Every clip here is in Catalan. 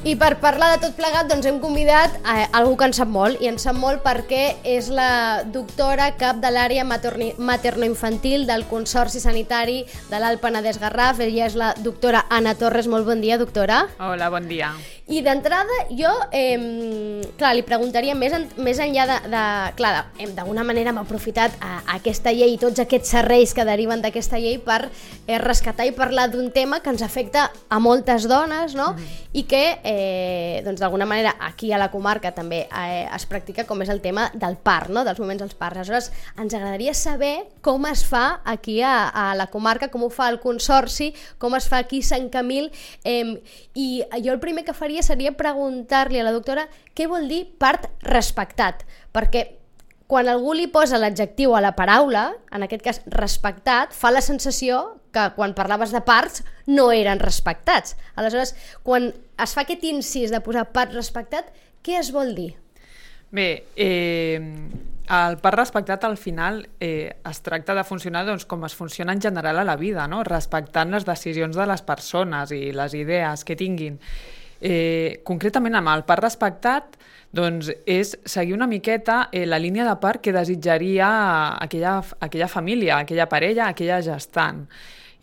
I per parlar de tot plegat, doncs hem convidat algú que en sap molt, i en sap molt perquè és la doctora cap de l'àrea materno-infantil del Consorci Sanitari de l'Alt Penedès-Garraf. Ella és la doctora Anna Torres. Molt bon dia, doctora. Hola, bon dia. I d'entrada jo, li preguntaria més enllà d'alguna manera hem aprofitat aquesta llei i tots aquests serveis que deriven d'aquesta llei per rescatar i parlar d'un tema que ens afecta a moltes dones, no? I que d'alguna manera aquí a la comarca també es practica, com és el tema del part, no? Dels moments dels parts. Aleshores, ens agradaria saber com es fa aquí a la comarca, com ho fa el Consorci, com es fa aquí a Sant Camil, i jo el primer que faria seria preguntar-li a la doctora què vol dir part respectat, perquè quan algú li posa l'adjectiu a la paraula, en aquest cas respectat, fa la sensació que quan parlaves de parts no eren respectats. Aleshores, quan es fa aquest incís de posar part respectat, què es vol dir? Bé, el part respectat al final es tracta de funcionar com es funciona en general a la vida, no? Respectant les decisions de les persones i les idees que tinguin. Concretament amb el part respectat és seguir una miqueta la línia de part que desitjaria aquella família, aquella parella, aquella gestant.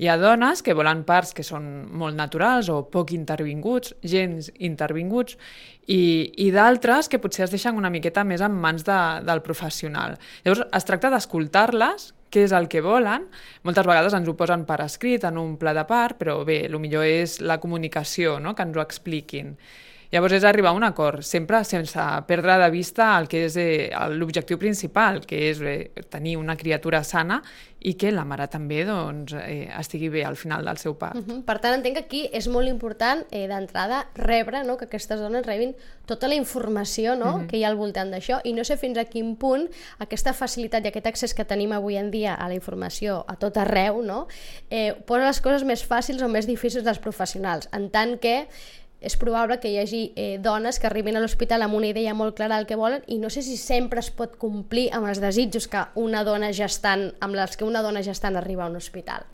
Hi ha dones que volen parts que són molt naturals o poc intervinguts, gens intervinguts, i d'altres que potser es deixen una miqueta més en mans del professional. Llavors es tracta d'escoltar-les, què és el que volen. Moltes vegades ens ho posen per escrit en un pla de part, però bé, el millor és la comunicació, no? Que ens ho expliquin. Llavors és arribar a un acord, sempre sense perdre de vista el que és l'objectiu principal, que és tenir una criatura sana i que la mare també estigui bé al final del seu part. Per tant, entenc que aquí és molt important d'entrada rebre, que aquestes dones rebin tota la informació que hi ha al voltant d'això, i no sé fins a quin punt aquesta facilitat i aquest accés que tenim avui en dia a la informació a tot arreu posa les coses més fàcils o més difícils dels professionals, en tant que és probable que hi hagi dones que arribin a l'hospital amb una idea molt clara del que volen i no sé si sempre es pot complir amb els desitjos amb els que una dona gestant arriba a un hospital.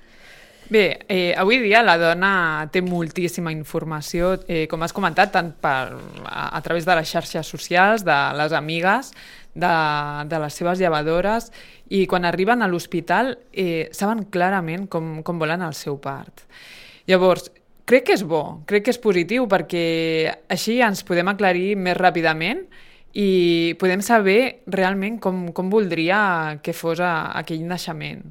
Bé, avui dia la dona té moltíssima informació, com has comentat, tant a través de les xarxes socials, de les amigues, de les seves llevadores, i quan arriben a l'hospital saben clarament com volen el seu part. Llavors, crec que és bo, crec que és positiu, perquè així ens podem aclarir més ràpidament i podem saber realment com voldria que fos aquell naixement.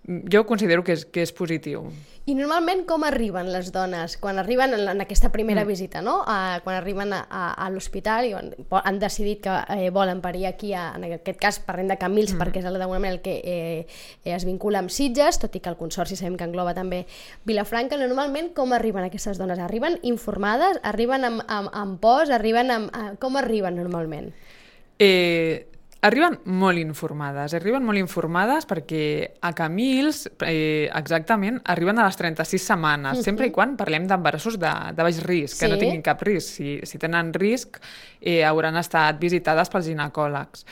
Jo considero que és positiu. I normalment com arriben les dones quan arriben en aquesta primera visita, no? Quan arriben a l'hospital i han decidit que volen parir aquí, en aquest cas parlem de Camils perquè és d'alguna manera el que es vincula amb Sitges, tot i que el Consorci sabem que engloba també Vilafranca. Normalment com arriben aquestes dones? Arriben informades? Arriben amb pors? Com arriben normalment? Arriben molt informades perquè a Camils, exactament, arriben a les 36 setmanes, sempre i quan parlem d'embarassos de baix risc, que no tinguin cap risc. Si tenen risc, hauran estat visitades pels ginecòlegs.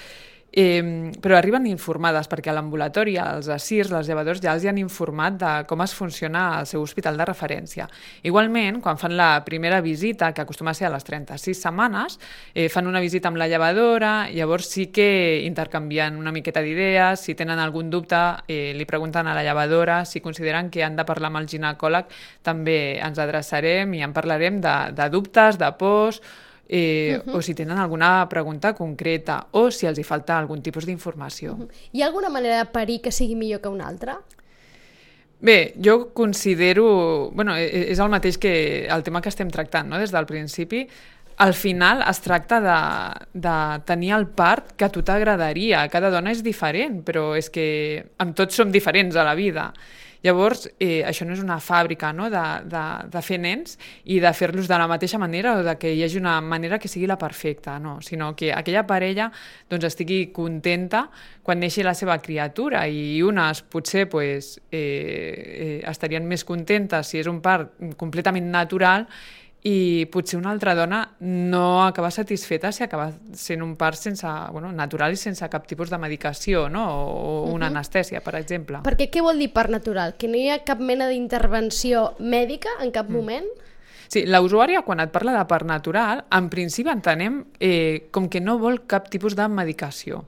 Però arriben informades perquè a l'ambulatori, als ASIRS, les llevadors ja els han informat de com es funciona al seu hospital de referència. Igualment, quan fan la primera visita, que acostuma a ser a les 36 setmanes, fan una visita amb la llevadora, llavors sí que intercanvien una miqueta d'idees, si tenen algun dubte li pregunten a la llevadora, si consideren que han de parlar amb el ginecòleg també ens adreçarem i en parlarem de dubtes, de pors, o si tenen alguna pregunta concreta o si els hi falta algun tipus d'informació. Hi ha alguna manera de parir que sigui millor que una altra? Bé, jo considero... és el mateix que el tema que estem tractant, no? Des del principi. Al final es tracta de tenir el part que a tu t'agradaria. Cada dona és diferent, però és que amb tots som diferents a la vida. Llavors, això no és una fàbrica, no? de fer nens i de fer-los de la mateixa manera o de que hi hagi una manera que sigui la perfecta, no? Sinó que aquella parella estigui contenta quan neixi la seva criatura i unes potser estarien més contentes si és un part completament natural i potser una altra dona no acaba satisfeta si acaba sent un part natural i sense cap tipus de medicació, no? O una anestèsia, per exemple. Perquè què vol dir part natural? Que no hi ha cap mena d'intervenció mèdica en cap moment? Sí, la usuària, quan et parla de part natural, en principi entenem com que no vol cap tipus de medicació,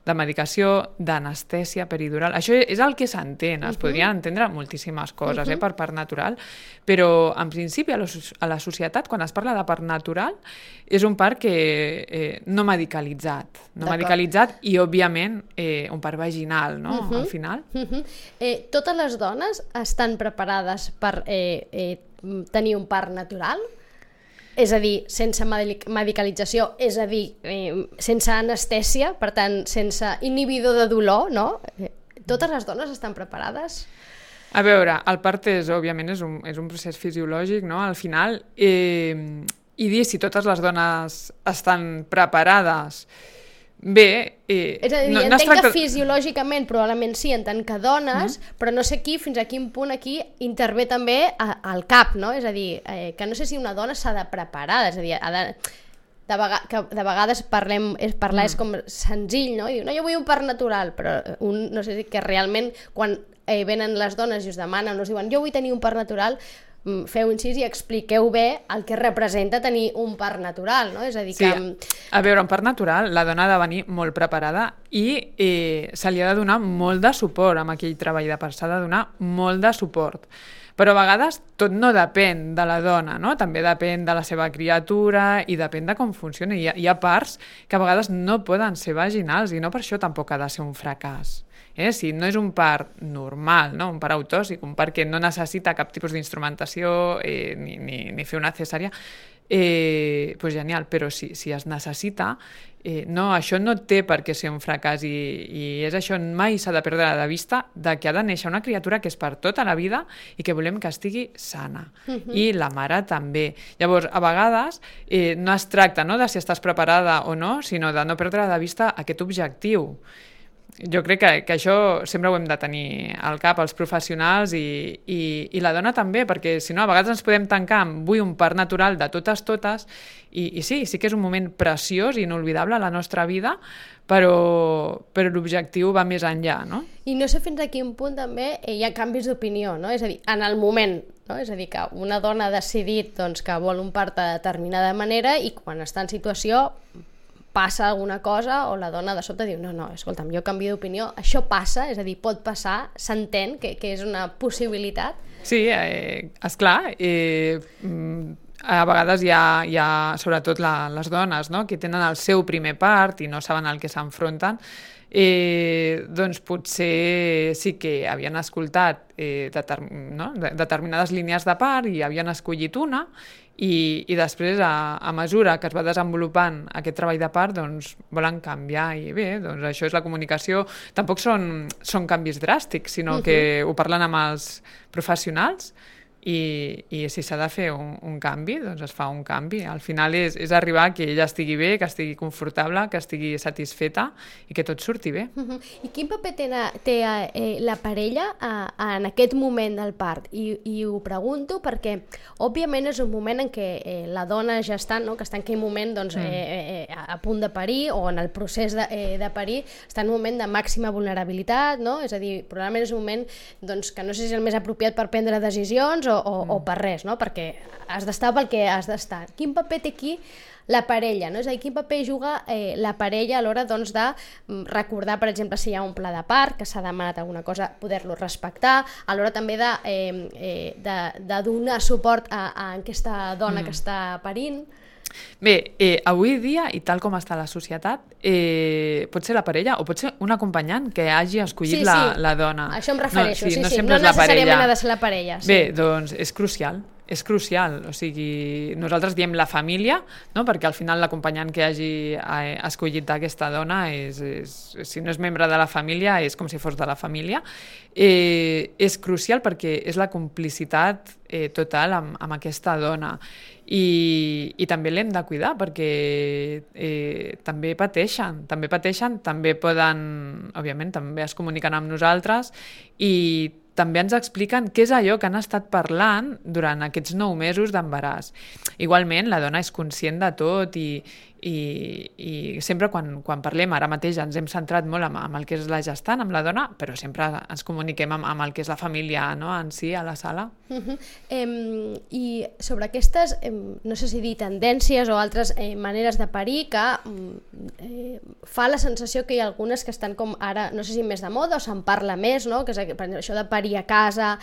d'anestèsia peridural. Això és el que s'entén, es podrien entendre moltíssimes coses per part natural, però en principi a la societat, quan es parla de part natural, és un part que no medicalitzat, i òbviament un part vaginal, no? Al final. Totes les dones estan preparades per tenir un part natural? És a dir, sense medicalització, és a dir, sense anestèsia, per tant, sense inhibidor de dolor, no? Totes les dones estan preparades? A veure, el part òbviament és un procés fisiològic, no? Al final, i dir si totes les dones estan preparades, bé... És a dir, entenc que fisiològicament probablement sí, en tant que dones, però no sé fins a quin punt aquí intervé també el cap, no? És a dir, que no sé si una dona s'ha de preparar, és a dir, de vegades parlar és com senzill, no? I diu, no, jo vull un part natural, però no sé si que realment quan venen les dones i us demanen, us diuen, jo vull tenir un part natural, feu incís i expliqueu bé el que representa tenir un part natural, no? És a dir que... Sí, a veure, un part natural, la dona ha de venir molt preparada i se li ha de donar molt de suport amb aquell treball de part, s'ha de donar molt de suport. Però a vegades tot no depèn de la dona, no? També depèn de la seva criatura i depèn de com funciona. Hi ha parts que a vegades no poden ser vaginals i no per això tampoc ha de ser un fracàs. Si no és un part normal, no? Un part autòxic, un part que no necessita cap tipus d'instrumentació ni fer una cesària, pues genial, però si es necessita, no, això no té per què ser un fracàs i és això, mai s'ha de perdre de vista de que ha de néixer una criatura que és per tota la vida i que volem que estigui sana. I la mare també. Llavors, a vegades no es tracta de si estàs preparada o no, sinó de no perdre de vista aquest objectiu. Jo crec que això sempre ho hem de tenir al cap, els professionals i la dona també, perquè si no a vegades ens podem tancar amb vull un part natural de totes i sí que és un moment preciós i inolvidable a la nostra vida, però l'objectiu va més enllà, no? I no sé fins a quin punt també hi ha canvis d'opinió, no? És a dir, en el moment, no? És a dir, que una dona ha decidit que vol un part de determinada manera i quan està en situació passa alguna cosa o la dona de sobte diu no, escolta'm, jo canvio d'opinió, això passa, és a dir, pot passar, s'entén que és una possibilitat? Sí, esclar, a vegades hi ha sobretot les dones, no?, que tenen el seu primer part i no saben al que s'enfronten, doncs potser sí que havien escoltat determinades línies de part i havien escollit una i després, a mesura que es va desenvolupant aquest treball de part, doncs volen canviar i bé, doncs això és la comunicació. Tampoc són canvis dràstics, sinó que ho parlen amb els professionals i si s'ha de fer un canvi, doncs es fa un canvi. Al final és arribar que ella estigui bé, que estigui confortable, que estigui satisfeta i que tot surti bé. I quin paper té la parella en aquest moment del part? I ho pregunto perquè, òbviament, és un moment en què la dona gestant, que està en aquell moment a punt de parir o en el procés de parir, està en un moment de màxima vulnerabilitat, no? És a dir, probablement és un moment que no sé si és el més apropiat per prendre decisions o per res, no? Perquè has d'estar pel que has d'estar. Quin paper té aquí la parella, no? És a dir, quin paper juga la parella a l'hora de recordar, per exemple, si hi ha un pla de part, que s'ha demanat alguna cosa, poder-lo respectar, a l'hora també de donar suport a aquesta dona que està parint? Bé, avui dia, i tal com està la societat, pot ser la parella o pot ser un acompanyant que hagi escollit la dona. Això em refereixo, no necessàriament ha de ser la parella. Bé, doncs és crucial, o sigui, nosaltres diem la família, no? Perquè al final l'acompanyant que hagi escollit aquesta dona, si no és membre de la família, és com si fos de la família. És crucial perquè és la complicitat total amb aquesta dona. I també l'hem de cuidar perquè també pateixen, també poden, òbviament, també es comuniquen amb nosaltres i també ens expliquen què és allò que han estat parlant durant aquests 9 mesos d'embaràs. Igualment, la dona és conscient de tot i i sempre quan parlem, ara mateix ens hem centrat molt amb el que és la gestant, amb la dona, però sempre ens comuniquem amb el que és la família, no? En si, a la sala. I sobre aquestes, no sé si dir tendències o altres maneres de parir, que fa la sensació que hi ha algunes que estan com ara, no sé si més de moda o se'n parla més, no? Que és això de parir a casa,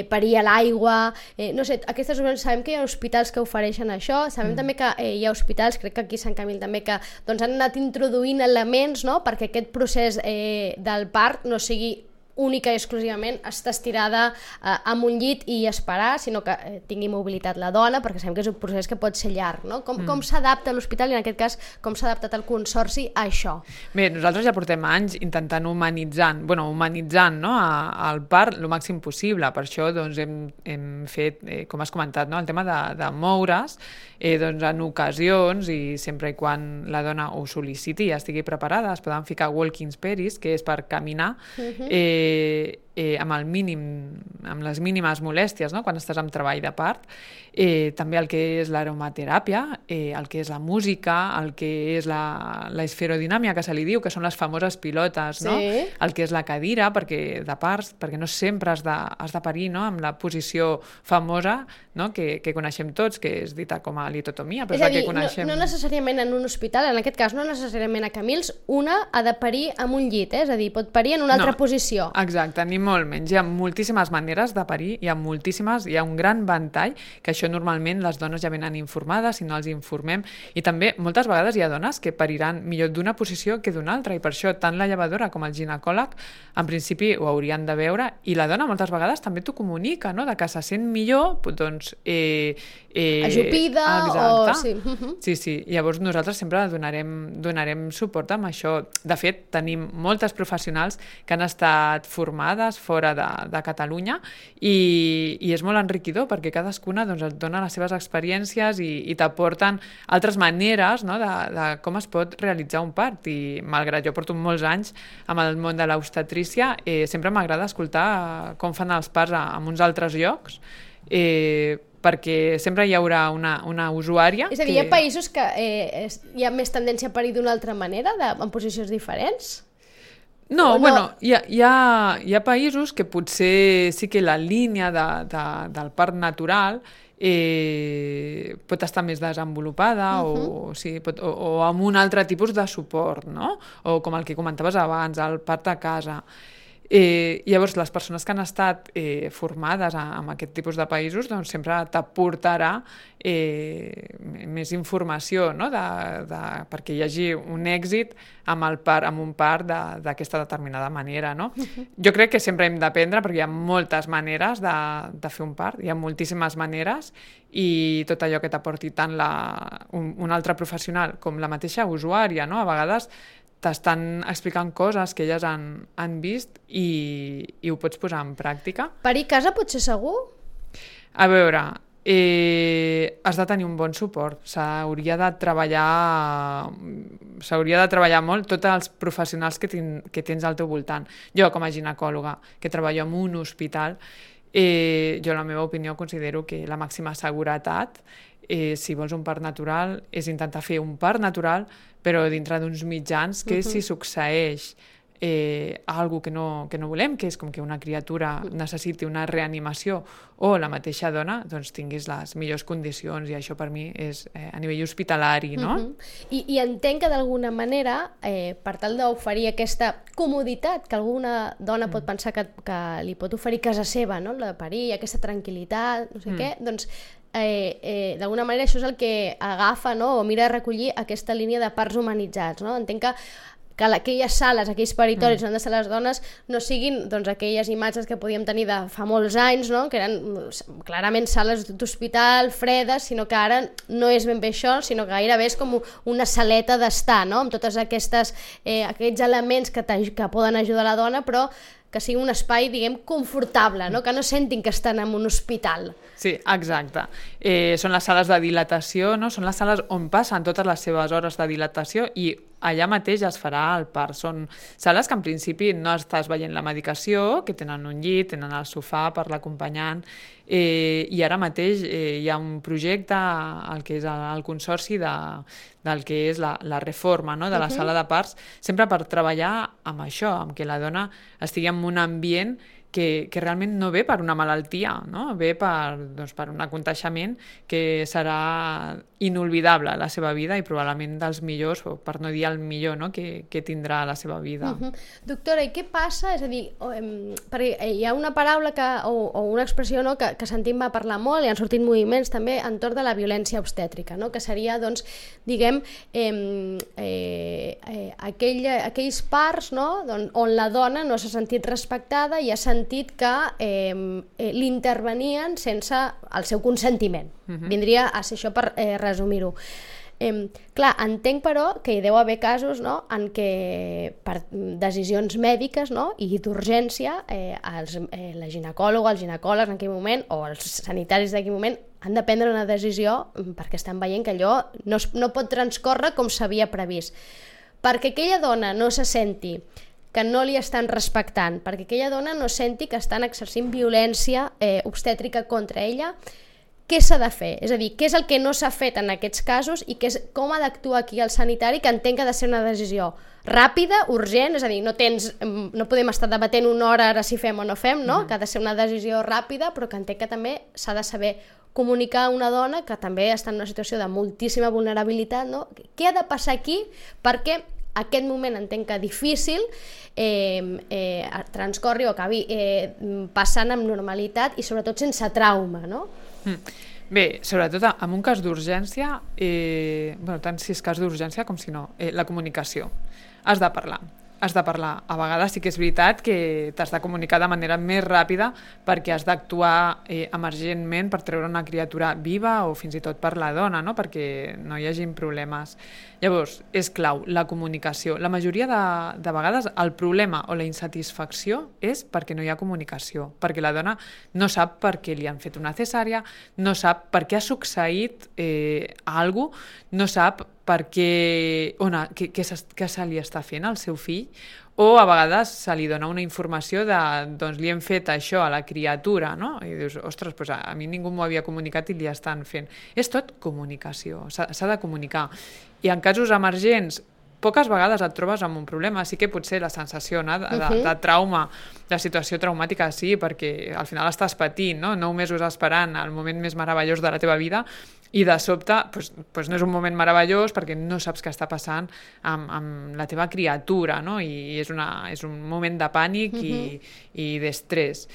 parir a l'aigua, no sé, aquestes sabem que hi ha hospitals que ofereixen això, sabem també que hi ha hospitals, crec que aquí a Sant Camil també, que doncs, han anat introduint elements, no?, perquè aquest procés del part no sigui única i exclusivament estar estirada amb un llit i esperar, sinó que tingui mobilitat la dona, perquè sabem que és un procés que pot ser llarg, no? Com s'adapta l'hospital i en aquest cas com s'ha adaptat el Consorci a això? Bé, nosaltres ja portem anys intentant humanitzant, no?, el part el màxim possible. Per això doncs, hem fet, com has comentat, no?, el tema de moure's doncs, en ocasions i sempre i quan la dona ho sol·liciti i estigui preparada, es poden ficar walking spares, que és per caminar, amb les mínimes molèsties, no?, quan estàs en treball de part. També el que és l'aromateràpia, el que és la música, el que és l'esferodinàmia, que se li diu, que són les famoses pilotes, no? Sí. El que és la cadira, perquè no sempre has de parir, no?, amb la posició famosa, no?, que coneixem tots, que és dita com a litotomia, però és la que coneixem. No necessàriament en un hospital, en aquest cas no necessàriament a Camils, una ha de parir amb un llit, és a dir, pot parir en una altra posició. Exacte, ni molt menys. Hi ha moltíssimes maneres de parir, hi ha un gran ventall, que això normalment les dones ja venen informades, si no els informem, i també moltes vegades hi ha dones que pariran millor d'una posició que d'una altra, i per això tant la llevadora com el ginecòleg en principi ho haurien de veure, i la dona moltes vegades també t'ho comunica, no?, de que se sent millor, doncs ajupida o... Sí. Llavors nosaltres sempre donarem suport amb això. De fet, tenim moltes professionals que han estat formades fora de Catalunya i és molt enriquidor perquè cadascuna doncs, et dona les seves experiències i t'aporten altres maneres, no?, de com es pot realitzar un part. I malgrat jo porto molts anys amb el món de l'obstetrícia, sempre m'agrada escoltar com fan els parts en uns altres llocs, perquè sempre hi haurà una usuària... És a dir, hi ha països que hi ha més tendència a parir d'una altra manera, en posicions diferents? No, bueno, hi ha països que potser sí que la línia del part natural pot estar més desenvolupada o amb un altre tipus de suport, no? O com el que comentaves abans, el part a casa. Llavors, les persones que han estat formades en aquest tipus de països doncs sempre t'aportarà més informació, no?, perquè hi hagi un èxit amb un part d'aquesta determinada manera, no? Jo crec que sempre hem d'aprendre perquè hi ha moltes maneres de fer un part, hi ha moltíssimes maneres i tot allò que t'aporti tant un altre professional com la mateixa usuària, no? A vegades t'estan explicant coses que elles han vist i ho pots posar en pràctica. Parir a casa pot ser segur? A veure, has de tenir un bon suport. S'hauria de treballar molt tots els professionals que tens al teu voltant. Jo, com a ginecòloga, que treballo en un hospital, jo, la meva opinió, considero que la màxima seguretat, si vols un part natural, és intentar fer un part natural, però dintre d'uns mitjans que si succeeix algo que no volem, que és com que una criatura necessiti una reanimació o la mateixa dona, doncs tinguis les millors condicions, i això per mi és a nivell hospitalari, no? I entenc que d'alguna manera, per tal d'oferir aquesta comoditat que alguna dona pot pensar que li pot oferir casa seva, no?, la de parir, aquesta tranquil·litat, no sé què, doncs d'alguna manera això és el que agafa, no?, o mira de recollir aquesta línia de parts humanitzats, no? Entenc que aquelles sales, aquells paritoris on han de ser les dones no siguin doncs, aquelles imatges que podíem tenir de fa molts anys, no?, que eren clarament sales d'hospital, fredes, sinó que ara no és ben bé això, sinó que gairebé és com una saleta d'estar, no?, amb tots aquests elements que poden ajudar la dona, però que sigui un espai, diguem, confortable, no?, que no sentin que estan en un hospital. Sí, exacte. Són les sales de dilatació, no? Són les sales on passen totes les seves hores de dilatació i allà mateix es farà el part. Són sales que en principi no estàs veient la medicació, que tenen un llit, tenen el sofà per l'acompanyant, i ara mateix hi ha un projecte, el que és el consorci del que és la reforma, no?, de la sala de parts, sempre per treballar amb això, amb que la dona estigui en un ambient que realment no ve per una malaltia, no? Ve per un aconteixement que serà inolvidable a la seva vida i probablement dels millors, o per no dir el millor, no?, que tindrà a la seva vida. Doctora, i què passa? És a dir, perquè hi ha una paraula o una expressió, no?, que sentim va parlar molt, i han sortit moviments també entorn de la violència obstètrica, no?, que seria, doncs, diguem, aquells parts, no?, on la dona no s'ha sentit respectada i ha sentit que l'intervenien sense el seu consentiment. Vindria a ser això, per resumir-ho. Clar, entenc però que hi deu haver casos, no?, en què per decisions mèdiques, no?, i d'urgència la ginecòloga, el ginecòleg en aquell moment, o els sanitaris d'aquell moment, han de prendre una decisió perquè estan veient que allò no pot transcórrer com s'havia previst. Perquè aquella dona no se senti que no li estan respectant, perquè aquella dona no senti que estan exercint violència obstètrica contra ella, què s'ha de fer? És a dir, què és el que no s'ha fet en aquests casos i com ha d'actuar aquí el sanitari, que entenc que ha de ser una decisió ràpida, urgent, és a dir, no podem estar debatent una hora ara si fem o no fem, no? Que ha de ser una decisió ràpida, però que entenc que també s'ha de saber comunicar a una dona que també està en una situació de moltíssima vulnerabilitat, no? Què ha de passar aquí perquè aquest moment entenc que difícil transcorri o acabi passant amb normalitat i sobretot sense trauma, no? Bé, sobretot en un cas d'urgència, tant si és cas d'urgència com si no, la comunicació. Has de parlar. A vegades sí que és veritat que t'has de comunicar de manera més ràpida perquè has d'actuar emergentment per treure una criatura viva o fins i tot per la dona, no?, perquè no hi hagin problemes. Llavors, és clau, la comunicació. La majoria de vegades el problema o la insatisfacció és perquè no hi ha comunicació, perquè la dona no sap per què li han fet una cesària, no sap per què ha succeït alguna cosa, no sap per què se li està fent al seu fill, o a vegades se li dona una informació de, doncs li hem fet això a la criatura, no? I dius, ostres, doncs a mi ningú m'ho havia comunicat i li estan fent. És tot comunicació, s'ha de comunicar. I en casos emergents, poques vegades et trobes amb un problema, sí que potser la sensació de trauma, de situació traumàtica, sí, perquè al final estàs patint, no? 9 mesos esperant el moment més meravellós de la teva vida, i de sobte no és un moment meravellós perquè no saps què està passant amb la teva criatura, no? I és un moment de pànic i d'estrès.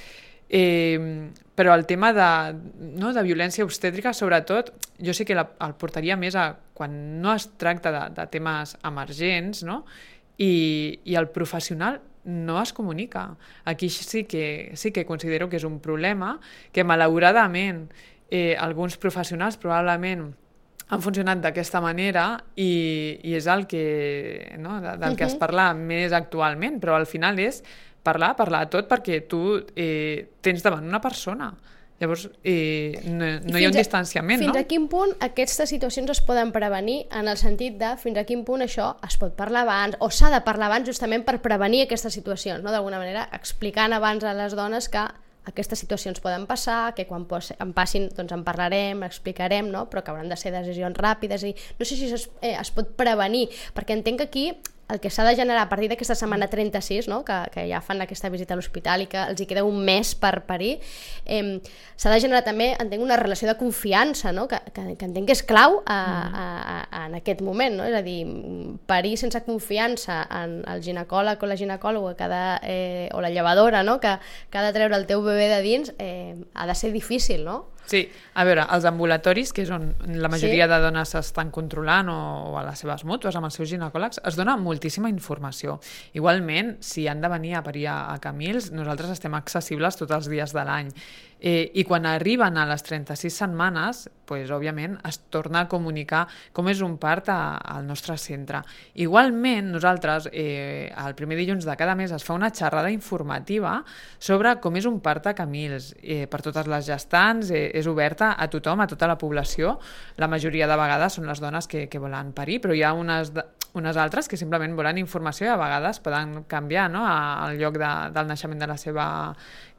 Però el tema de violència obstètrica, sobretot, jo sí que el portaria més a quan no es tracta de temes emergents, no?, i el professional no es comunica. Aquí sí que considero que és un problema que malauradament alguns professionals probablement han funcionat d'aquesta manera i és el que, no, del que es parla més actualment, però al final és parlar tot perquè tu tens davant una persona. Llavors, no hi ha un distanciament, no? Fins a quin punt aquestes situacions es poden prevenir, en el sentit de fins a quin punt això es pot parlar abans, o s'ha de parlar abans justament per prevenir aquestes situacions, no? D'alguna manera, explicant abans a les dones que aquestes situacions poden passar, que quan en passin doncs en parlarem, explicarem, no? Però que hauran de ser decisions ràpides. I no sé si es pot prevenir, perquè entenc que aquí el que s'ha de generar a partir d'aquesta setmana 36, no? que ja fan aquesta visita a l'hospital i que els hi queda un mes per parir, s'ha de generar també, entenc, una relació de confiança, no? que entenc que és clau en aquest moment, no? És a dir, parir sense confiança en el ginecòleg o la ginecòloga o la llevadora, no? que ha de treure el teu bebè de dins, ha de ser difícil, no? Sí, a veure, els ambulatoris, que és on la majoria de dones s'estan controlant, o a les seves mútues, amb els seus ginecòlegs, es dona moltíssima informació. Igualment, si han de venir a parir a Camils, nosaltres estem accessibles tots els dies de l'any. I quan arriben a les 36 setmanes, doncs, òbviament, es torna a comunicar com és un part al nostre centre. Igualment, nosaltres, el primer dilluns de cada mes es fa una xerrada informativa sobre com és un part a Camils. Per totes les gestants, és oberta a tothom, a tota la població. La majoria de vegades són les dones que volen parir, però hi ha unes altres que simplement volen informació i a vegades poden canviar, no?, al lloc del naixement de la seva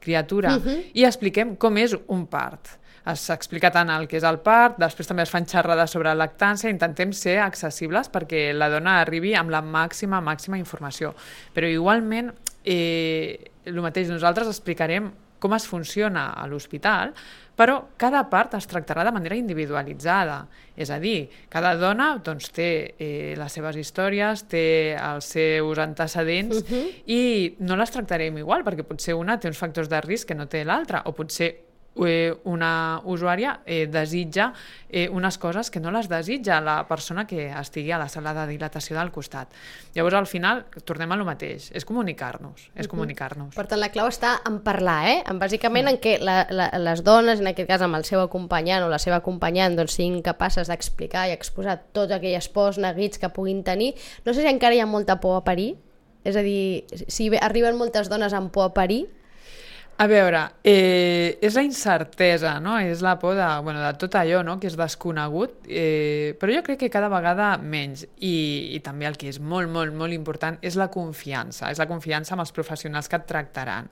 criatura. I expliquem com és un part. S'explica tant el que és el part, després també es fan xerrades sobre lactància, intentem ser accessibles perquè la dona arribi amb la màxima informació. Però igualment, el mateix, nosaltres explicarem com es funciona a l'hospital, però cada part es tractarà de manera individualitzada. És a dir, cada dona doncs, té les seves històries, té els seus antecedents i no les tractarem igual, perquè potser una té uns factors de risc que no té l'altra, o potser una usuària desitja unes coses que no les desitja la persona que estigui a la sala de dilatació del costat. Llavors, al final, tornem a lo mateix, és comunicar-nos. Per tant, la clau està en parlar, bàsicament en què les dones, en aquest cas amb el seu acompanyant o la seva acompanyant, doncs, siguin capaces d'explicar i exposar tots aquells pors, neguits que puguin tenir. No sé si encara hi ha molta por a parir, és a dir, si arriben moltes dones amb por a parir. A veure, és la incertesa, no? És la por de tot allò, no?, que és desconegut, però jo crec que cada vegada menys. I també el que és molt important és la confiança. És la confiança amb els professionals que et tractaran.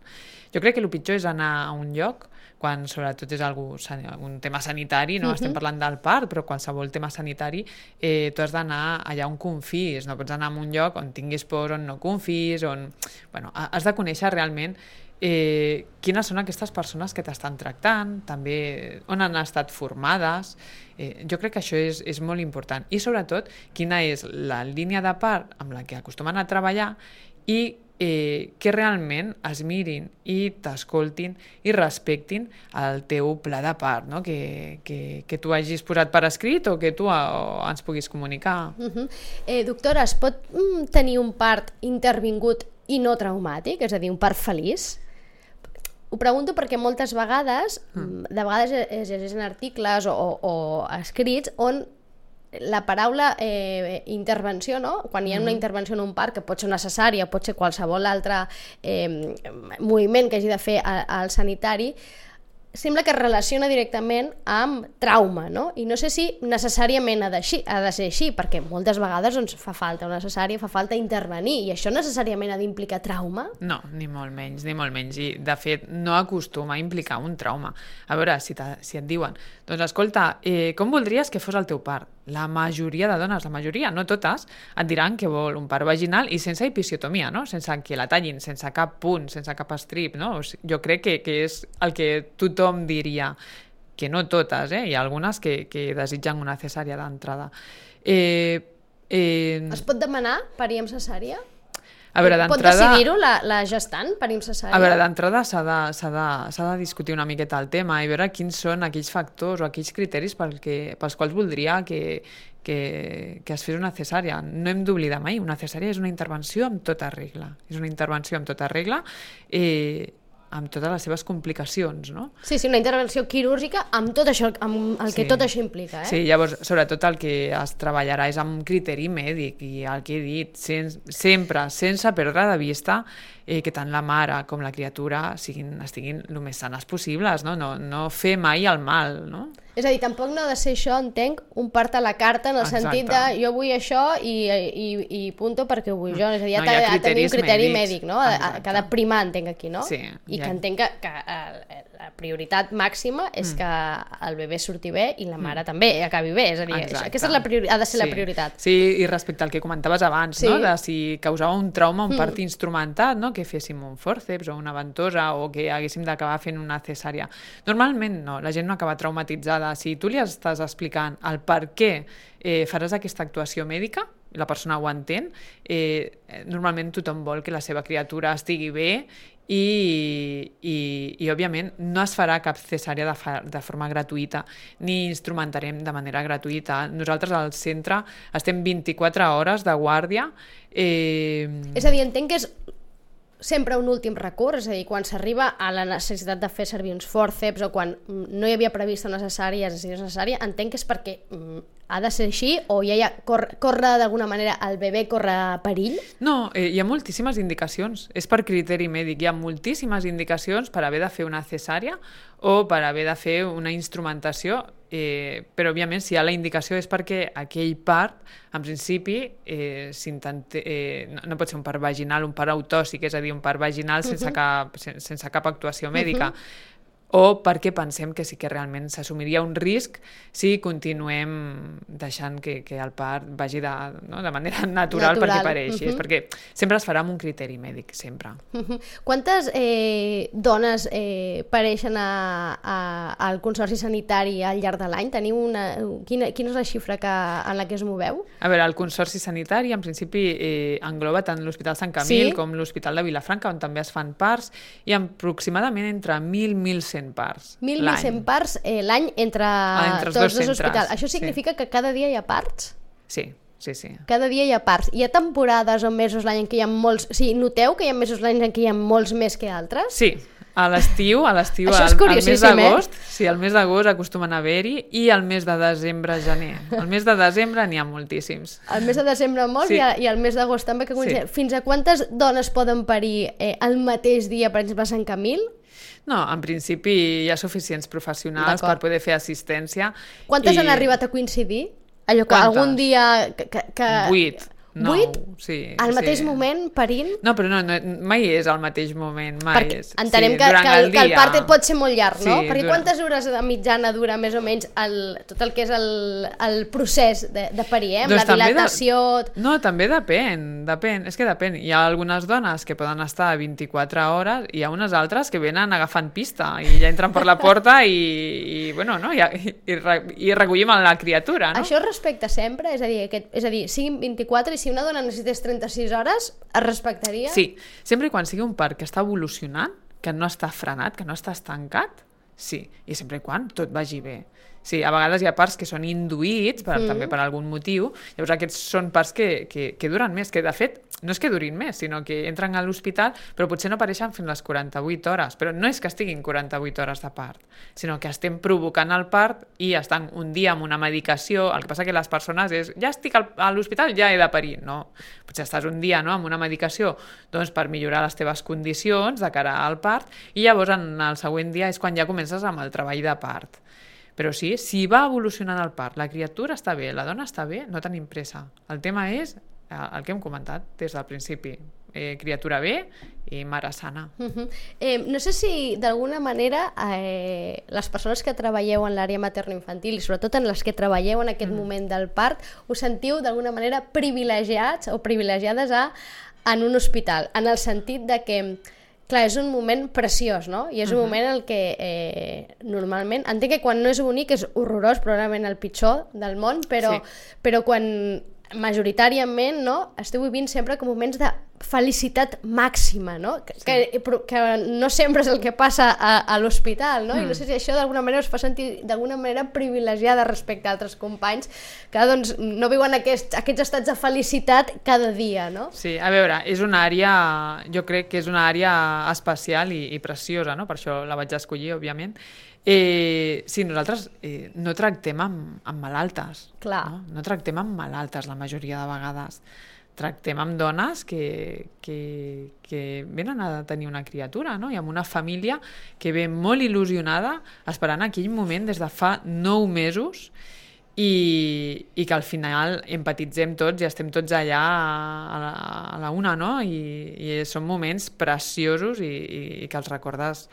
Jo crec que el pitjor és anar a un lloc, quan sobretot és un tema sanitari, no estem parlant del part, però qualsevol tema sanitari, tu has d'anar allà on confis, no pots anar a un lloc on tinguis por, on no confis, has de conèixer realment quines són aquestes persones que t'estan tractant, també on han estat formades. Jo crec que això és molt important. I sobretot, quina és la línia de part amb la que acostumen a treballar i que realment es mirin i t'escoltin i respectin el teu pla de part, no? Que tu hagis posat per escrit o que tu ens puguis comunicar. Doctora, es pot tenir un part intervingut i no traumàtic, és a dir, un part feliç? Ho pregunto perquè moltes vegades, de vegades es llegeixen articles o escrits on la paraula intervenció, no? Quan hi ha una intervenció en un part, que pot ser necessària, pot ser qualsevol altre moviment que hagi de fer al sanitari, sembla que es relaciona directament amb trauma, no? I no sé si necessàriament ha de ser així, perquè moltes vegades doncs, fa falta intervenir, i això necessàriament ha d'implicar trauma? No, ni molt menys. I, de fet, no acostuma a implicar un trauma. A veure, si et diuen, doncs escolta, com voldries que fos el teu part? La majoria de dones, la majoria, no totes, et diran que vol un part vaginal i sense episiotomia, no? Sense que la tallin, sense cap punt, sense cap estrip, no? O sigui, jo crec que és el que tothom diria, que no totes, hi ha algunes que desitgen una cesària d'entrada. Es pot demanar parir amb cesària? A veure, pot decidir-ho la gestant, parir amb cesària? A veure, d'entrada s'ha de discutir una miqueta el tema i veure quins són aquells factors o aquells criteris pels quals voldria que es fes una cesària. No hem d'oblidar mai, una cesària és una intervenció amb tota regla. És una intervenció amb tota regla, amb totes les seves complicacions, no? Sí, una intervenció quirúrgica amb tot això, amb el que tot això implica, Sí, llavors, sobretot el que es treballarà és amb criteri mèdic i el que he dit, sempre, sense perdre de vista que tant la mare com la criatura estiguin el més sanes possibles, no? No fer mai el mal, no? És a dir, tampoc no ha de ser això, entenc, un part a la carta en el sentit de jo vull això i punto perquè ho vull jo. És a dir, ha de tenir un criteri mèdic, no? Que ha de primar, entenc, aquí, no? Sí. I que entenc que la prioritat màxima és que el bebè surti bé i la mare també acabi bé. És a dir, aquesta ha de ser la prioritat. Sí, i respecte al que comentaves abans, no? De si causava un trauma, un part instrumentat, no? Que féssim un fòrceps o una ventosa o que haguéssim d'acabar fent una cesària. Normalment no, la gent no acaba traumatitzada. Si tu li estàs explicant el per què faràs aquesta actuació mèdica, la persona ho entén, normalment tothom vol que la seva criatura estigui bé i òbviament no es farà cap cesària de forma gratuïta ni instrumentarem de manera gratuïta. Nosaltres al centre estem 24 hores de guàrdia. És a dir, entenc que és sempre un últim recurs, és a dir, quan s'arriba a la necessitat de fer servir uns fòrceps o quan no hi havia prevista una cesària, entenc que és perquè ha de ser així o ja corre d'alguna manera, el bebè corre perill? No, hi ha moltíssimes indicacions. És per criteri mèdic. Hi ha moltíssimes indicacions per haver de fer una cesària o per haver de fer una instrumentació, però, òbviament, si hi ha la indicació és perquè aquell part, en principi, no pot ser un part vaginal, un part autòxic, és a dir, un part vaginal sense cap actuació mèdica. O perquè pensem que sí que realment s'assumiria un risc si continuem deixant que el part vagi de manera natural perquè pareixi. És perquè sempre es farà amb un criteri mèdic, sempre. Quantes dones pareixen al Consorci Sanitari al llarg de l'any? Quina és la xifra en la que es moveu? A veure, el Consorci Sanitari en principi engloba tant l'Hospital Sant Camil com l'Hospital de Vilafranca, on també es fan parts, i aproximadament entre 1.000 i 1.100 parts. 1.100 parts l'any entre tots dos hospitals. Això significa que cada dia hi ha parts? Sí. Cada dia hi ha parts. Hi ha temporades o mesos l'any en què hi ha molts... O sigui, noteu que hi ha mesos l'any en què hi ha molts més que altres? Sí. A l'estiu, al mes d'agost, sí, al mes d'agost acostumen a haver-hi, i al mes de desembre, gener. Al mes de desembre n'hi ha moltíssims. Al mes de desembre molts, i al mes d'agost també. Fins a quantes dones poden parir el mateix dia, per exemple, a Sant Camil? No, en principi hi ha suficients professionals per poder fer assistència. Quantes han arribat a coincidir? Allò que algun dia... 8. 8? Sí. Al mateix moment, parint? No, però mai és al mateix moment, mai és. Entenem que el part pot ser molt llarg, no? Perquè quantes hores de mitjana dura més o menys tot el que és el procés de parir, la dilatació... No, també depèn. És que depèn. Hi ha algunes dones que poden estar 24 hores i hi ha unes altres que venen agafant pista i ja entren per la porta i recollim la criatura, no? Això es respecta sempre? És a dir, siguin 24 i si una dona necessités 36 hores, es respectaria? Sí, sempre i quan sigui un part que està evolucionant, que no està frenat, que no està estancat, sí, i sempre i quan tot vagi bé. Sí, a vegades hi ha parts que són induïts, també per algun motiu, llavors aquests són parts que duren més, que de fet no és que durin més, sinó que entren a l'hospital, però potser no apareixen fins les 48 hores, però no és que estiguin 48 hores de part, sinó que estem provocant el part i estan un dia amb una medicació. El que passa que les persones és, ja estic a l'hospital, ja he de parir, no? Potser estàs un dia amb una medicació per millorar les teves condicions de cara al part, i llavors en el següent dia és quan ja comences amb el treball de part. Però sí, si va evolucionant el part, la criatura està bé, la dona està bé, no tenim pressa. El tema és el que hem comentat des del principi. Criatura bé i mare sana. No sé si d'alguna manera les persones que treballeu en l'àrea materno-infantil i sobretot en les que treballeu en aquest moment del part us sentiu d'alguna manera privilegiats o privilegiades en un hospital, en el sentit de que clar, és un moment preciós, no? I és un moment en el que normalment, entenc que quan no és bonic és horrorós, probablement el pitjor del món, però quan majoritàriament esteu vivint sempre com moments de felicitat màxima, no? Que no sempre és el que passa a l'hospital, no? I no sé si això d'alguna manera us fa sentir d'alguna manera privilegiada respecte a altres companys que no viuen aquests estats de felicitat cada dia, no? Sí, a veure, és una àrea, jo crec que és una àrea especial i preciosa, no? Per això la vaig escollir, òbviament. Sí, nosaltres no tractem amb malaltes. Clar. No tractem amb malaltes la majoria de vegades. Tractem amb dones que venen a tenir una criatura, no? I amb una família que ve molt il·lusionada esperant aquell moment des de fa 9 mesos i que al final empatitzem tots i estem tots allà a la una, no? I són moments preciosos i que els recordes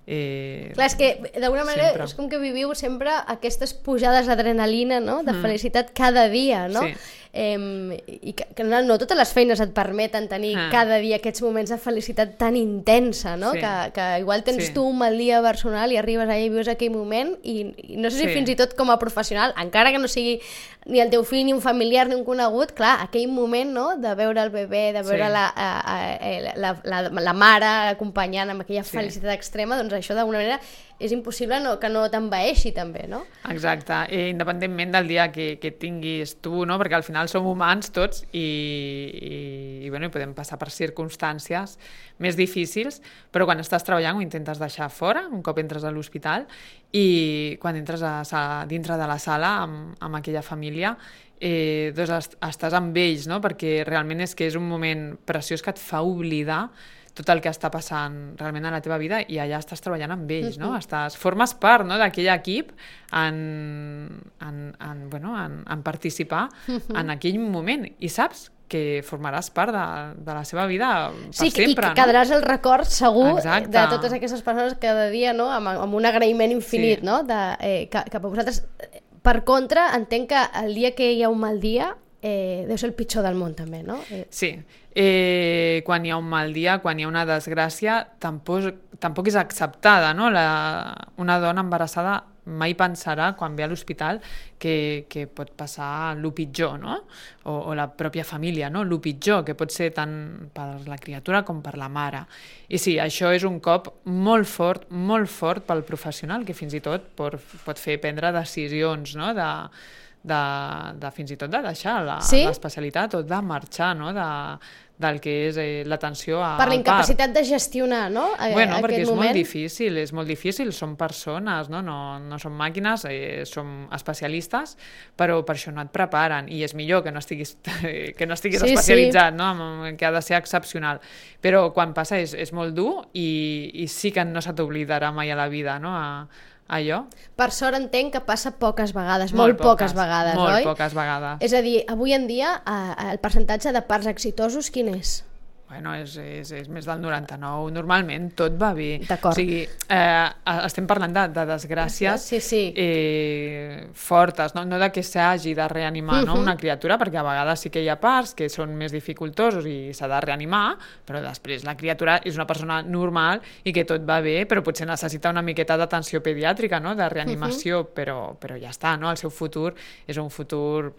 clar, és que d'alguna manera és com que viviu sempre aquestes pujades d'adrenalina, no? De felicitat cada dia, no? Sí. I que no totes les feines et permeten tenir cada dia aquests moments de felicitat tan intensa, no? Sí. Que igual tens tu un mal dia personal i arribes allà i vius aquell moment i no sé si fins i tot com a professional, encara que no sigui ni el teu fill, ni un familiar, ni un conegut, clar, aquell moment, no? De veure el bebè, de veure la mare acompanyant amb aquella felicitat extrema, doncs això d'alguna manera és impossible que no t'envaeixi també, no? Exacte, independentment del dia que tinguis tu, no? Perquè al final final som humans tots i podem passar per circumstàncies més difícils, però quan estàs treballant ho intentes deixar fora, un cop entres a l'hospital, i quan entres dintre de la sala amb aquella família, doncs estàs amb ells, no? Perquè realment és que és un moment preciós que et fa oblidar tot el que està passant realment a la teva vida i allà estàs treballant amb ells, no? Formes part, no, d'aquell equip en participar en aquell moment i saps que formaràs part de la seva vida per sempre. Sí, i que quedaràs el record segur de totes aquestes persones cada dia, no? Amb un agraïment infinit, no? Cap a vosaltres. Per contra, entenc que el dia que hi ha un mal dia deu ser el pitjor del món també, no? Sí, quan hi ha un mal dia, quan hi ha una desgràcia, tampoc és acceptada, no? Una dona embarassada mai pensarà, quan ve a l'hospital, que pot passar el pitjor, no? O la pròpia família, no? El pitjor, que pot ser tant per la criatura com per la mare. I sí, això és un cop molt fort pel professional, que fins i tot pot fer prendre decisions, no? De fins i tot de deixar l'especialitat o de marxar, no? Del que és l'atenció al part. Per la incapacitat de gestionar, no? Perquè és molt difícil, som persones, no som màquines, som especialistes, però per això no et preparen, i és millor que no estiguis especialitzat, no? Que ha de ser excepcional. Però quan passa és molt dur i sí que no se t'oblidarà mai a la vida, no? Allò. Per sort entenc que passa poques vegades, molt poques vegades, oi? Molt poques vegades. És a dir, avui en dia el percentatge de parts exitosos quin és? Bueno, és més del 99, normalment tot va bé. D'acord. O sigui, estem parlant de desgràcies fortes, no de que s'hagi de reanimar una criatura, perquè a vegades sí que hi ha parts que són més dificultosos i s'ha de reanimar, però després la criatura és una persona normal i que tot va bé, però potser necessita una miqueta d'atenció pediàtrica, no? De reanimació, però ja està, no? El seu futur és un futur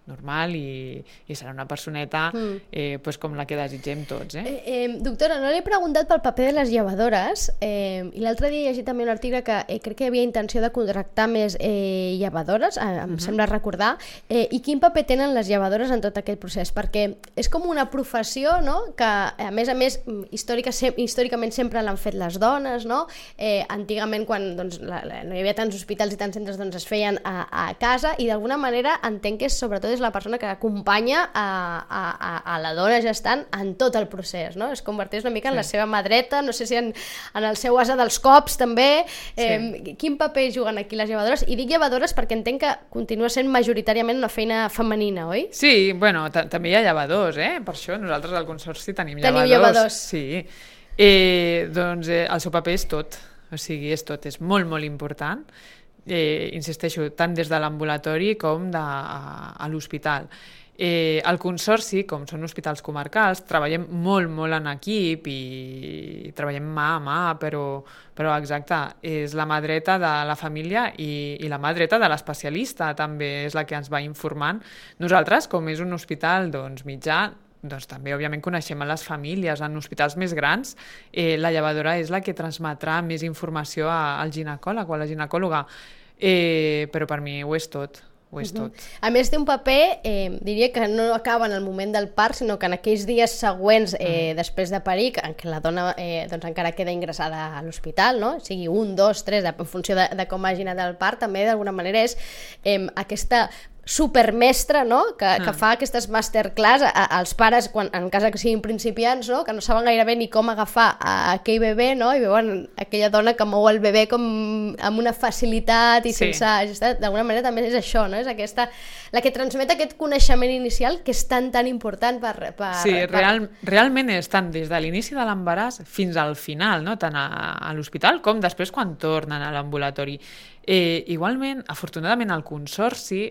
normal i serà una personeta com la que desitgem tots. Doctora, no li he preguntat pel paper de les llevadores, i l'altre dia he llegit també un article que crec que hi havia intenció de contractar més llevadores, em sembla recordar, i quin paper tenen les llevadores en tot aquest procés, perquè és com una professió, no? Que a més històricament sempre l'han fet les dones, no? Antigament, quan no hi havia tants hospitals i tants centres, es feien a casa, i d'alguna manera entenc que sobretot és la persona que acompanya a la dona gestant en tot el procés, no? Es converteix una mica en la seva mà dreta, no sé si en el seu ase dels cops també. Quin paper juguen aquí les llevadores? I dic llevadores perquè entenc que continua sent majoritàriament una feina femenina, oi? Sí, bueno, també hi ha llevadors, per això nosaltres al Consorci tenim llevadors. Teniu llevadors. Sí, doncs el seu paper és tot, o sigui, és molt, molt important. Insisteixo, tant des de l'ambulatori com a l'hospital. El Consorci, com són hospitals comarcals, treballem molt, molt en equip i treballem mà a mà, però exacte, és la mà dreta de la família i la mà dreta de l'especialista, també és la que ens va informant. Nosaltres, com és un hospital mitjà, doncs també, òbviament, coneixem a les famílies. En hospitals més grans, la llevadora és la que transmetrà més informació al ginecòleg o a la ginecòloga, però per mi ho és tot. A més, té un paper, diria que no acaba en el moment del part, sinó que en aquells dies següents després de parir, en què la dona encara queda ingressada a l'hospital, no? Sigui 1, 2, 3, en funció de com hagi anat el part, també d'alguna manera és aquesta supermestra, no? Que fa aquestes masterclass als pares, en cas que siguin principiants, no? Que no saben gairebé ni com agafar aquell bebè, no? I veuen aquella dona que mou el bebè com amb una facilitat i sense... D'alguna manera també és això, no? És aquesta, la que transmet aquest coneixement inicial que és tan important per... Sí, realment és tant des de l'inici de l'embaràs fins al final, no? Tant a l'hospital com després quan tornen a l'ambulatori. Igualment, afortunadament, al Consorci,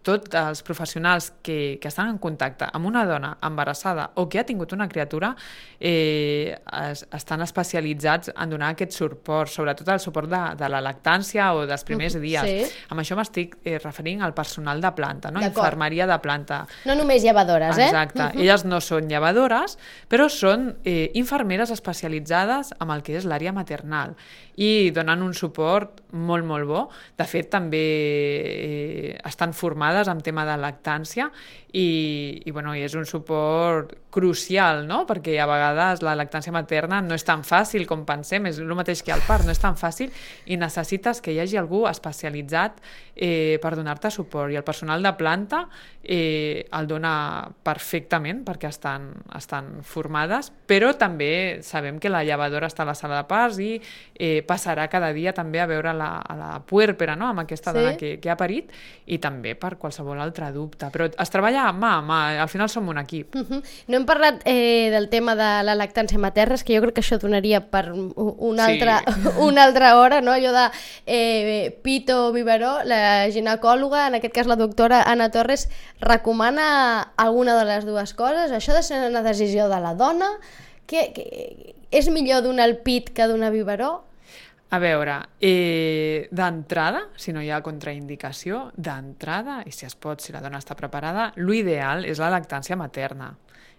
tots els professionals que estan en contacte amb una dona embarassada o que ha tingut una criatura estan especialitzats en donar aquest suport, sobretot el suport de la lactància o dels primers dies. Sí. Amb això m'estic referint al personal de planta, no? Infermeria de planta. No només llevadores, Exacte. Elles no són llevadores, però són infermeres especialitzades en el que és l'àrea maternal i donen un suport molt, molt bo. De fet, també estan formades en tema de lactància i és un suport crucial, no? Perquè a vegades la lactància materna no és tan fàcil com pensem, és el mateix que el part, no és tan fàcil i necessites que hi hagi algú especialitzat per donar-te suport, i el personal de planta el dona perfectament perquè estan formades, però també sabem que la llevadora està a la sala de parts i passarà cada dia també a veure la puèrpera, no? Amb aquesta dona que ha parit, i també per qualsevol altre dubte, però es treballa mà a mà, al final som un equip. No hem parlat del tema de la lactància materna, és que jo crec que això donaria per una altra hora, no? Allò de pito o biberó, la ginecòloga, en aquest cas la doctora Anna Torres, recomana alguna de les dues coses? Això de ser una decisió de la dona, que és millor donar el pit que donar biberó? A veure, d'entrada, si no hi ha contraindicació, d'entrada, i si es pot, si la dona està preparada, l'ideal és la lactància materna.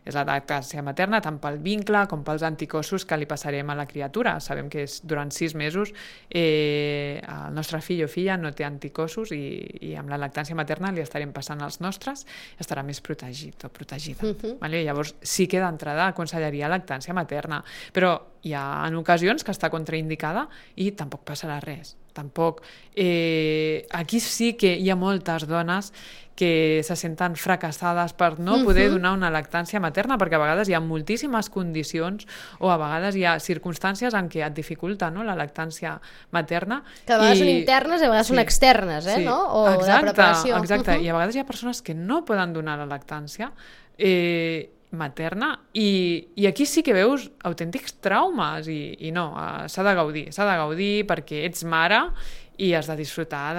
És la lactància materna tant pel vincle com pels anticossos que li passarem a la criatura. Sabem que durant 6 mesos el nostre fill o filla no té anticossos i amb la lactància materna li estarem passant els nostres i estarà més protegit o protegida. Vale? Llavors sí que d'entrada aconsellaria lactància materna, però hi ha en ocasions que està contraindicada i tampoc passarà res. Tampoc. Aquí sí que hi ha moltes dones que se senten fracassades per no poder donar una lactància materna, perquè a vegades hi ha moltíssimes condicions o a vegades hi ha circumstàncies en què et dificulta, no?, la lactància materna. Que a vegades són internes i a vegades són externes, no? O de preparació. Exacte, i a vegades hi ha persones que no poden donar la lactància materna i aquí sí que veus autèntics traumes i no, s'ha de gaudir perquè ets mare i has de disfrutar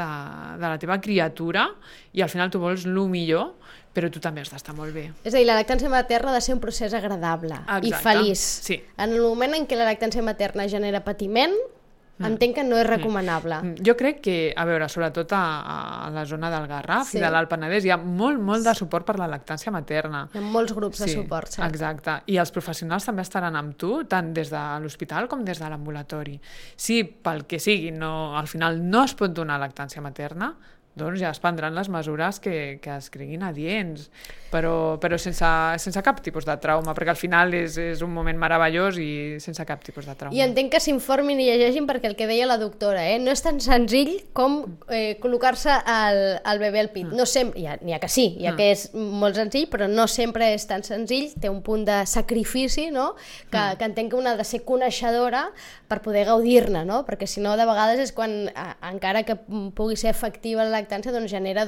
de la teva criatura i al final tu vols el millor, però tu també has d'estar molt bé. És a dir, la lactància materna ha de ser un procés agradable i feliç. Sí. En el moment en què la lactància materna genera patiment, entenc que no és recomanable. Jo crec que, a veure, sobretot a la zona del Garraf i de l'Alt Penedès hi ha molt de suport per la lactància materna. Hi ha molts grups de suport, cert. Exacte. I els professionals també estaran amb tu, tant des de l'hospital com des de l'ambulatori. Si pel que sigui al final no es pot donar lactància materna, doncs ja es prendran les mesures que es creguin adients, però sense cap tipus de trauma, perquè al final és un moment meravellós i sense cap tipus de trauma. I entenc que s'informin i llegeixin, perquè el que deia la doctora, no és tan senzill com col·locar-se el bebè al pit. No sempre, n'hi ha que sí, hi ha que és molt senzill, però no sempre és tan senzill, té un punt de sacrifici, no?, que entenc que una ha de ser coneixedora per poder gaudir-ne, no?, perquè si no, de vegades és quan, encara que pugui ser efectiva la lactància, doncs genera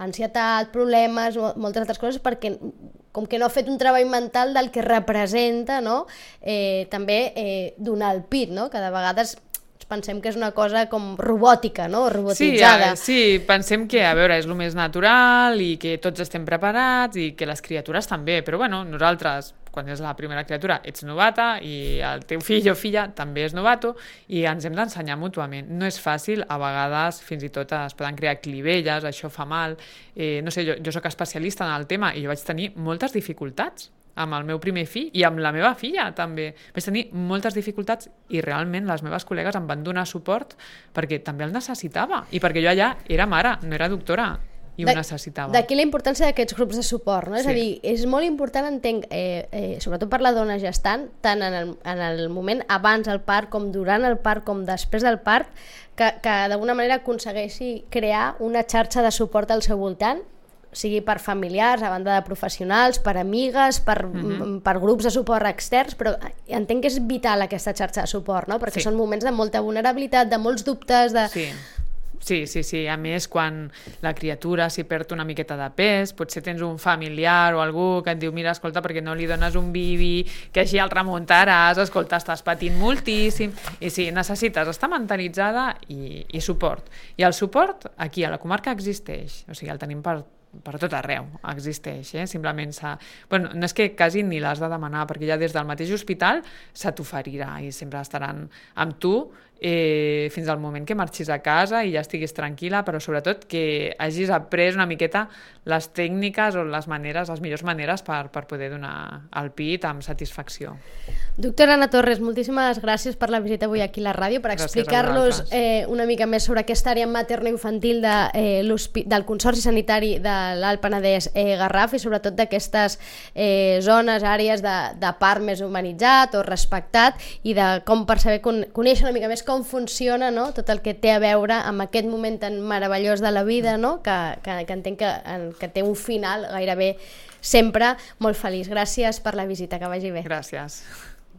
ansietat, problemes, moltes altres coses, perquè com que no ha fet un treball mental del que representa, no?, també donar el pit, no?, que de vegades pensem que és una cosa com robòtica, no?, robotitzada. Sí, pensem que, a veure, és el més natural i que tots estem preparats i que les criatures també, però bueno, nosaltres, quan és la primera criatura, ets novata i el teu fill o filla també és novato i ens hem d'ensenyar mútuament. No és fàcil, a vegades fins i tot es poden crear clivelles, això fa mal. No sé, jo soc especialista en el tema i jo vaig tenir moltes dificultats amb el meu primer fill i amb la meva filla també. Vaig tenir moltes dificultats i realment les meves col·legues em van donar suport perquè també el necessitava i perquè jo allà era mare, no era doctora i ho necessitava. D'aquí la importància d'aquests grups de suport, no? És a dir, és molt important, entenc, sobretot per la dona gestant, tant en el moment abans del part, com durant el part, com després del part, que d'alguna manera aconsegueixi crear una xarxa de suport al seu voltant, sigui per familiars, a banda de professionals, per amigues, per grups de suport externs, però entenc que és vital aquesta xarxa de suport, no? Perquè són moments de molta vulnerabilitat, de molts dubtes, de... Sí. A més, quan la criatura s'hi perd una miqueta de pes, potser tens un familiar o algú que et diu, mira, escolta, perquè no li dones un bibi, que així el remuntaràs, escolta, estàs patint moltíssim, i sí, necessites estar mentalitzada i suport. I el suport aquí a la comarca existeix, o sigui, el tenim per tot arreu, existeix, simplement bueno, no és que quasi ni l'has de demanar, perquè ja des del mateix hospital se t'oferirà i sempre estaran amb tu fins al moment que marxis a casa i ja estiguis tranquil·la, però sobretot que hagis après una miqueta les tècniques o les millors maneres per poder donar el pit amb satisfacció. Doctora Anna Torres, moltíssimes gràcies per la visita avui aquí a la ràdio, per explicar-nos una mica més sobre aquesta àrea materno-infantil del Consorci Sanitari de l'Alt Penedès Garraf i sobretot d'aquestes zones, àrees de part més humanitzat o respectat i de com per saber conèixer una mica més com funciona, no? Tot el que té a veure amb aquest moment tan meravellós de la vida, no? que entenc que té un final gairebé sempre molt feliç. Gràcies per la visita, que vagi bé. Gràcies.